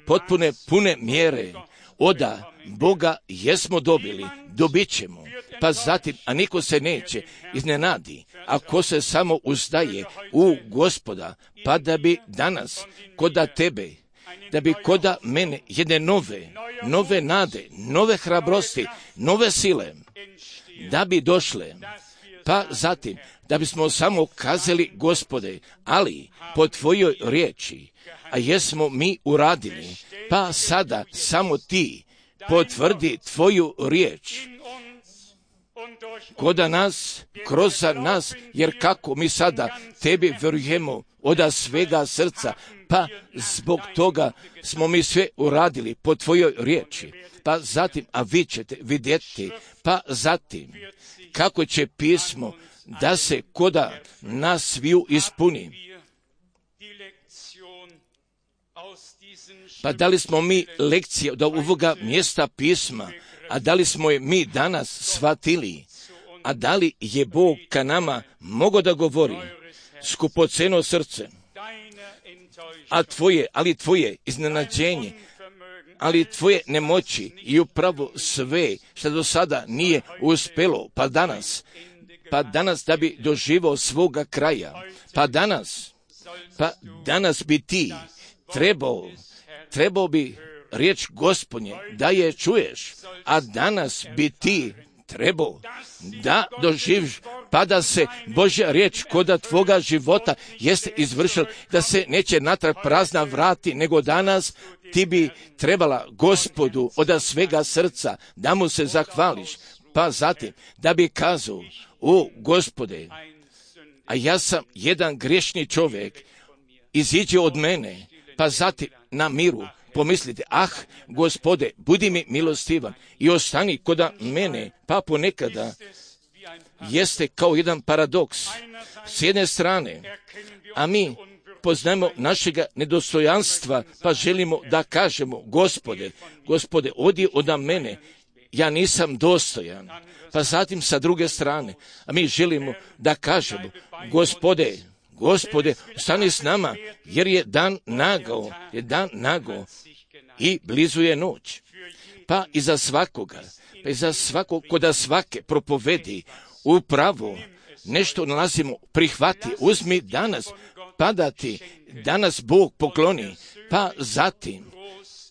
potpune mjere oda Boga jesmo dobili, dobit ćemo. Pa zatim, a niko se neće iznenadi ako se samo uzdaje u Gospoda, pa da bi danas koda tebe, da bi koda mene jedne nove nade, nove hrabrosti, nove sile, da bi došle. Pa zatim, da bismo samo kazali: Gospode, ali po tvojoj riječi, a jesmo mi uradili. Pa sada samo ti potvrdi tvoju riječ koda nas, kroz nas, jer kako mi sada tebi vjerujemo od svega srca, pa zbog toga smo mi sve uradili po tvojoj riječi. Pa zatim, a vi ćete vidjeti, pa zatim, kako će pismo da se koda nas sviju ispuni. Pa da li smo mi lekcije od ovoga mjesta pisma, a da li smo je mi danas shvatili, a da li je Bog ka nama mogao da govori? Skupoceno srce, ali tvoje iznenađenje, ali tvoje nemoći i upravo sve što do sada nije uspelo, pa danas da bi doživao svoga kraja, pa danas bi ti trebao bi riječ Gospodnje da je čuješ, a danas bi ti trebao da doživiš, pa da se Božja riječ koda tvoga života jeste izvršila, da se neće natrag prazna vrati, nego danas ti bi trebala Gospodu od svega srca da mu se zahvališ, pa zatim da bi kazao: o Gospode, a ja sam jedan grešni čovjek, iziđe od mene. Pa zatim na miru pomislite: Gospode, budi mi milostivan i ostani koda mene. Pa ponekada jeste kao jedan paradoks. S jedne strane, a mi poznajemo našega nedostojanstva, pa želimo da kažemo: Gospode, odi od mene, ja nisam dostojan. Pa zatim sa druge strane, a mi želimo da kažemo: Gospode, ostani s nama, jer je dan nagao i blizu je noć. Pa iza svakog koda svake propovedi upravo nešto nalazimo: prihvati, uzmi danas, pa da ti danas Bog pokloni. Pa zatim,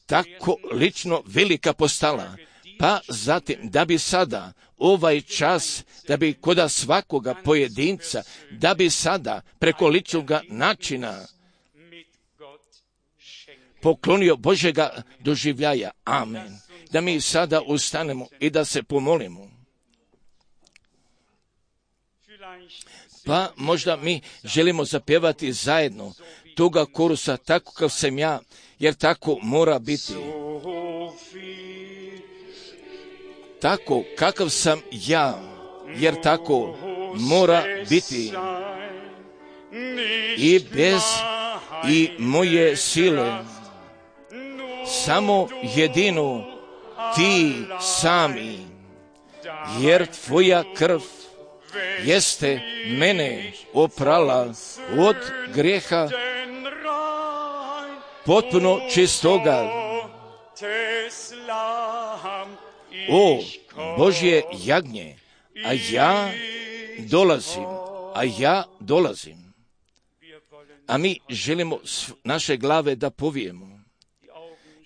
tako lično velika postala, pa zatim da bi sada ovaj čas, da bi koda svakoga pojedinca, da bi sada preko ličnoga načina poklonio Božjega doživljaja. Amen. Da mi sada ustanemo i da se pomolimo. Pa možda mi želimo zapjevati zajedno toga korusa tako kao sam ja, jer tako mora biti. Tako kakav sam ja, jer tako mora biti. I bez i moje sile, samo jedino ti sami, jer tvoja krv jeste mene oprala od grijeha potpuno čistoga. O Božje jagnje, a ja dolazim. A mi želimo naše glave da povijemo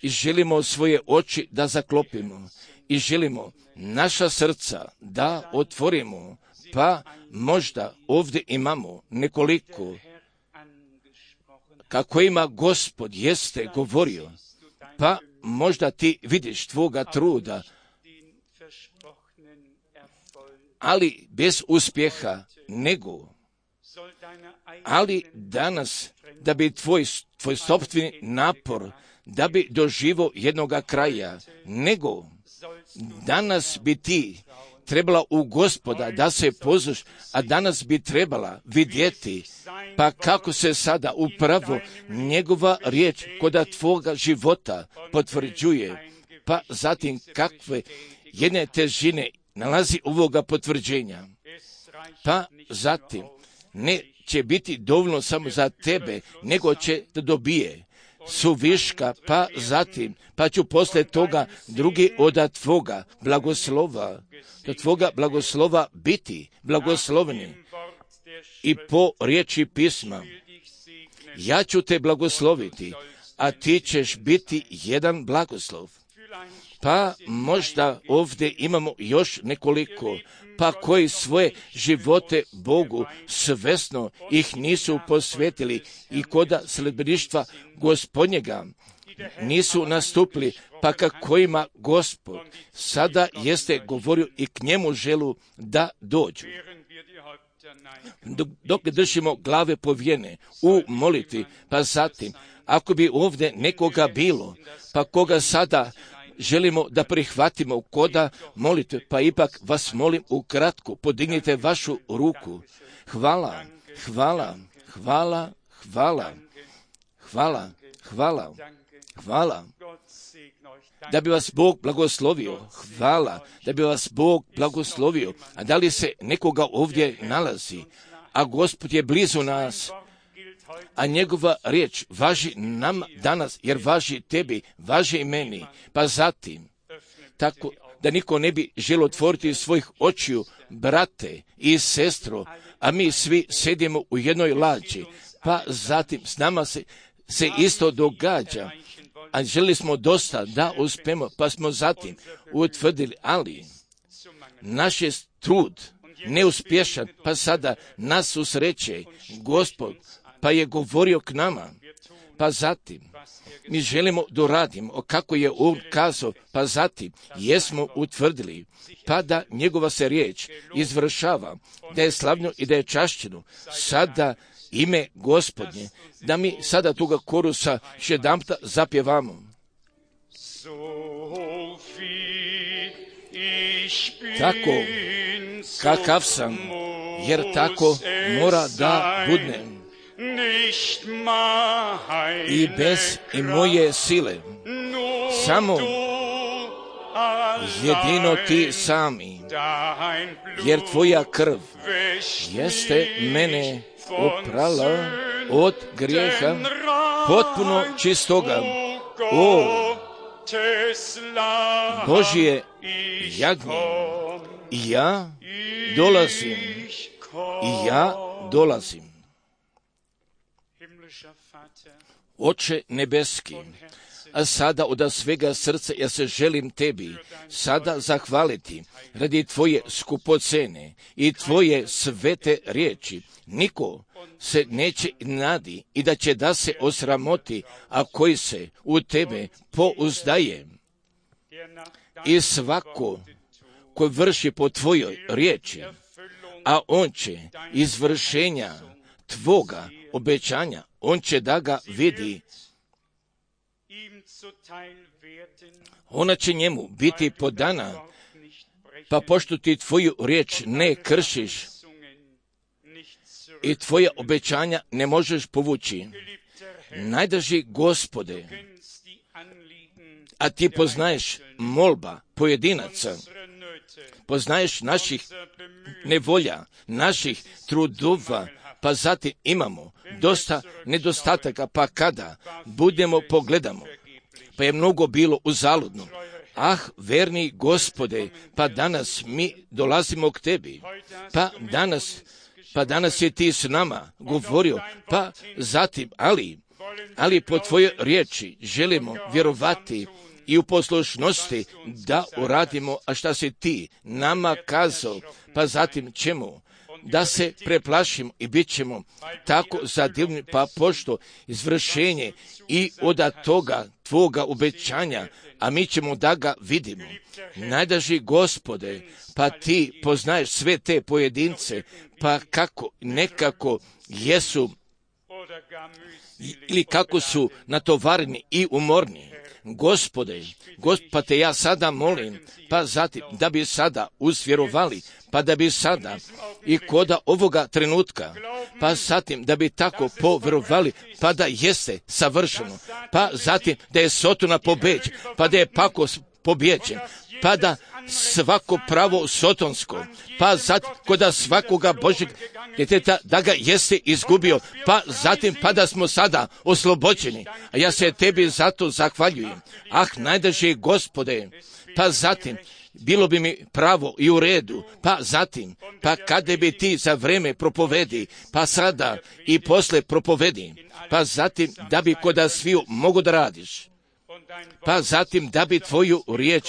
i želimo svoje oči da zaklopimo i želimo naša srca da otvorimo, pa možda ovdje imamo nekoliko kako ima Gospod jeste govorio, pa možda ti vidiš tvoga truda, ali bez uspjeha, ali danas da bi tvoj sopstveni napor, da bi doživo jednoga kraja, danas bi ti trebala u Gospoda da se pozvaš, a danas bi trebala vidjeti, pa kako se sada upravo njegova riječ kod tvoga života potvrđuje, pa zatim kakve jedne težine nalazi ovoga potvrđenja, pa zatim neće biti dovoljno samo za tebe, nego će da dobije suviška, pa zatim, pa ću poslije toga drugi od tvoga blagoslova biti blagosloveni. I po riječi pisma, ja ću te blagosloviti, a ti ćeš biti jedan blagoslov. Pa možda ovdje imamo još nekoliko, pa koji svoje živote Bogu svesno ih nisu posvetili i koda sledbeništva Gospodnjega nisu nastupili, pa kojima Gospod sada jeste govorio i k njemu želu da dođu. Dok držimo glave povijene u molitvi, pa zatim, ako bi ovdje nekoga bilo, pa koga sada želimo da prihvatimo koda molitve, pa ipak vas molim ukratko, podignite vašu ruku. Hvala, hvala, hvala, hvala, hvala, hvala, hvala. Da bi vas Bog blagoslovio, hvala, da bi vas Bog blagoslovio. A da li se nekoga ovdje nalazi, a Gospod je blizu nas, a njegova riječ važi nam danas, jer važi tebi, važi i meni, pa zatim, tako da niko ne bi želio otvoriti svojih očiju, brate i sestro, a mi svi sedimo u jednoj lađi, pa zatim s nama se isto događa, a želi smo dosta da uspemo, pa smo zatim utvrdili, ali naš je trud neuspješan, pa sada nas susreće Gospod, pa je govorio k nama, pa zatim mi želimo doradimo kako je on kazao, pa zatim jesmo utvrdili, pa da njegova se riječ izvršava, da je slavno i da je čašćeno, sada ime Gospodnje, da mi sada toga korusa jedanputa zapjevamo. Tako kakav sam, jer tako mora da budnem. I bez i moje sile, samo jedino ti sami, jer tvoja krv jeste mene oprala od grijeha potpuno čistoga. O Božje jagnje, ja dolazim. Oče nebeski, a sada od svega srca ja se želim tebi sada zahvaliti radi tvoje skupocene i tvoje svete riječi. Niko se neće nadi i da će da se osramoti, a koji se u tebe pouzdaje. I svako ko vrši po tvojoj riječi, a on će izvršenja tvoga obećanja, on će da ga vidi. Ona će njemu biti podana, pa pošto ti tvoju riječ ne kršiš i tvoja obećanja ne možeš povući. Najdraži Gospode, a ti poznaješ molba pojedinaca, poznaješ naših nevolja, naših trudova, pa zatim imamo dosta nedostataka, pa kada budemo pogledamo, pa je mnogo bilo uzaludno. Verni Gospode, pa danas mi dolazimo k tebi, pa danas je ti s nama govorio, pa zatim, ali po tvojoj riječi želimo vjerovati i u poslušnosti da uradimo, a šta si ti nama kazao, pa zatim ćemo da se preplašimo i bit ćemo tako zadivljeni, pa pošto izvršenje i od toga tvoga obećanja, a mi ćemo da ga vidimo. Najdraži Gospode, pa ti poznaješ sve te pojedince, pa kako nekako jesu ili kako su natovareni i umorni. Gospode, pa te ja sada molim, pa zatim da bi sada uzvjerovali, pa da bi sada i koda ovoga trenutka, pa zatim da bi tako povjerovali, pa da jeste savršeno, pa zatim da je Sotona pobeđen, pa da je Pakos pobjeđen, pa da svako pravo sotonsko, pa zatim koda svakoga Božeg djeteta da ga jeste izgubio, pa zatim pa da smo sada oslobođeni. A ja se tebi zato zahvaljujem. Najdraži Gospode, pa zatim bilo bi mi pravo i u redu, pa zatim, pa kada bi ti za vreme propovedi, pa sada i posle propovedi, pa zatim da bi koda sviju mogu da radiš, pa zatim da bi tvoju riječ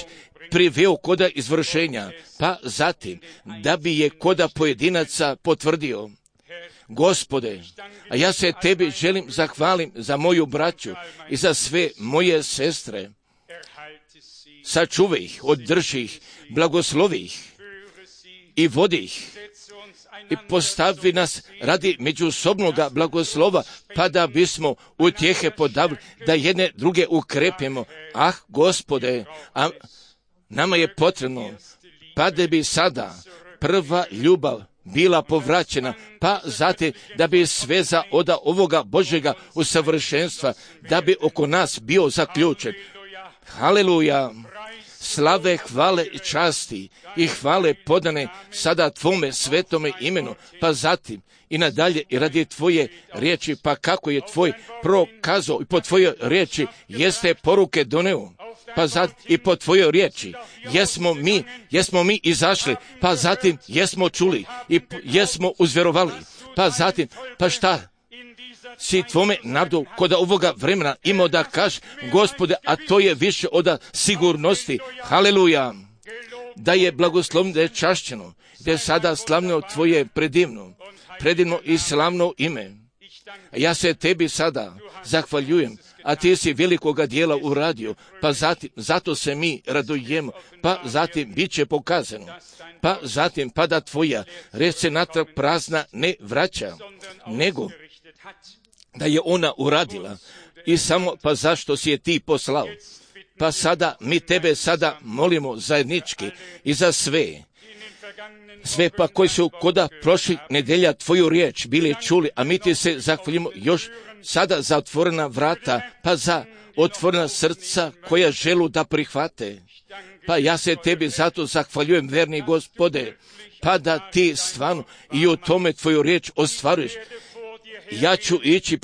priveo koda izvršenja, pa zatim da bi je koda pojedinaca potvrdio. Gospode, a ja se tebi želim zahvalim za moju braću i za sve moje sestre. Sačuvaj ih, održi ih, blagoslovi ih i vodi ih i postavi nas radi međusobnoga blagoslova, pa da bismo utjehe podavili, da jedne druge ukrepimo. Gospode, a nama je potrebno, pa da bi sada prva ljubav bila povraćena, pa zatim da bi sveza od ovoga Božjega usavršenstva, da bi oko nas bio zaključen. Haleluja! Slave, hvale i časti i hvale podane sada tvome svetome imenu, pa zatim i nadalje i radi tvoje riječi, pa kako je tvoj prokazao i po tvojoj riječi jeste poruke doneo, pa zatim i po tvojoj riječi jesmo mi izašli, pa zatim jesmo čuli i jesmo uzvjerovali, pa zatim, pa šta si tvome narodu kod ovoga vremena imao da kaži, Gospode, a to je više od sigurnosti. Haleluja! Da je blagoslovno, da je čašćeno, da je sada slavno tvoje predivno i slavno ime. Ja se tebi sada zahvaljujem, a ti si velikoga dijela uradio, pa zatim, zato se mi radujemo, pa zatim bit će pokazano, pa zatim pa da tvoja reč se natrag prazna ne vraća, nego da je ona uradila i samo pa zašto si je ti poslao. Pa sada mi tebe sada molimo zajednički i za sve pa koji su koda prošli nedelja tvoju riječ bili čuli, a mi ti se zahvaljujemo još sada za otvorena vrata, pa za otvorena srca koja želu da prihvate. Pa ja se tebi zato zahvaljujem, verni Gospode, pa da ti stvarno i u tome tvoju riječ ostvaruješ. Ja ću ići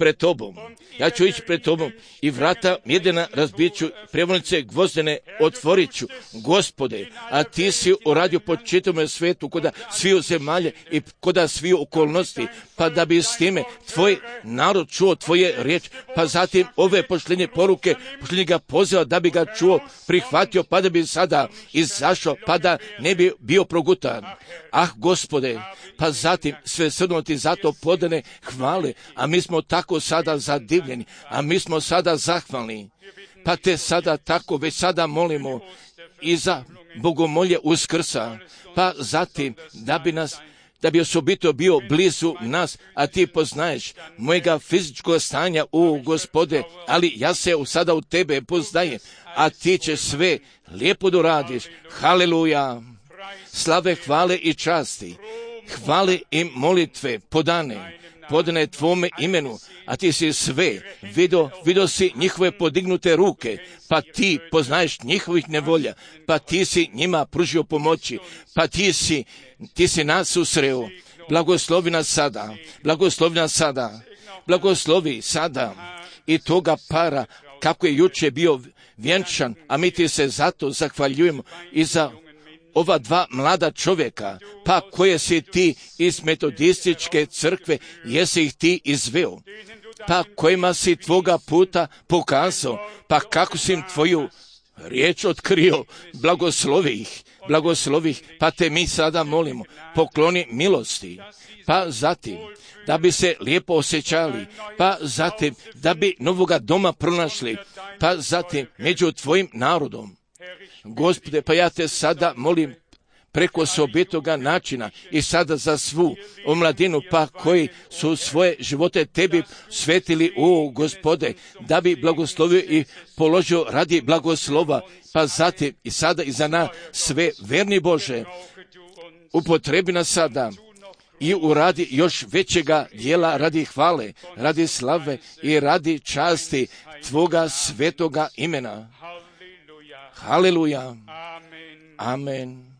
pred tobom i vrata jedina razbit ću, prevonice gvozdene otvorit ću, Gospode, a ti si uradio po čitavom svijetu, koda sviju zemalje i koda sviju okolnosti, pa da bi s time tvoj narod čuo tvoje riječ, pa zatim ove pošljenje poruke, pošljenje ga poziva da bi ga čuo, prihvatio, pa da bi sada izašao, pa da ne bi bio progutan. Gospode, pa zatim sve srno ti zato podane hvale, a mi smo tako sada zadivljeni, a mi smo sada zahvalni, pa te sada tako već sada molimo i za bogomolje Uskrsa, pa zatim da bi nas da bi osobito bio blizu nas, a ti poznaješ mojega fizičkog stanja, Gospode, ali ja se sada u tebe poznajem, a ti ćeš sve lijepo doradiš. Haleluja! Slave, hvale i časti, hvale i molitve podane tvome imenu, a ti si sve vidio si njihove podignute ruke, pa ti poznaješ njihovih nevolja, pa ti si njima pružio pomoći, pa ti si nas susreo. Blagoslovi nas sada, blagoslovi sada i toga para kako je juče bio vjenčan, a mi ti se zato zahvaljujemo i za ova dva mlada čovjeka, pa koje si ti iz metodističke crkve, jesi ih ti izveo, pa kojima si tvoga puta pokazao, pa kako si im tvoju riječ otkrio, blagoslovi ih, pa te mi sada molimo, pokloni milosti, pa zatim da bi se lijepo osjećali, pa zatim da bi novoga doma pronašli, pa zatim među tvojim narodom. Gospode, pa ja te sada molim preko osobitoga načina i sada za svu omladinu, pa koji su svoje živote tebi svetili, Gospode, da bi blagoslovio i položio radi blagoslova, pa zatim i sada i za nas sve, verni Bože, upotrebi nas sada i uradi još većega dijela radi hvale, radi slave i radi časti tvoga svetoga imena. Haleluja. Amen.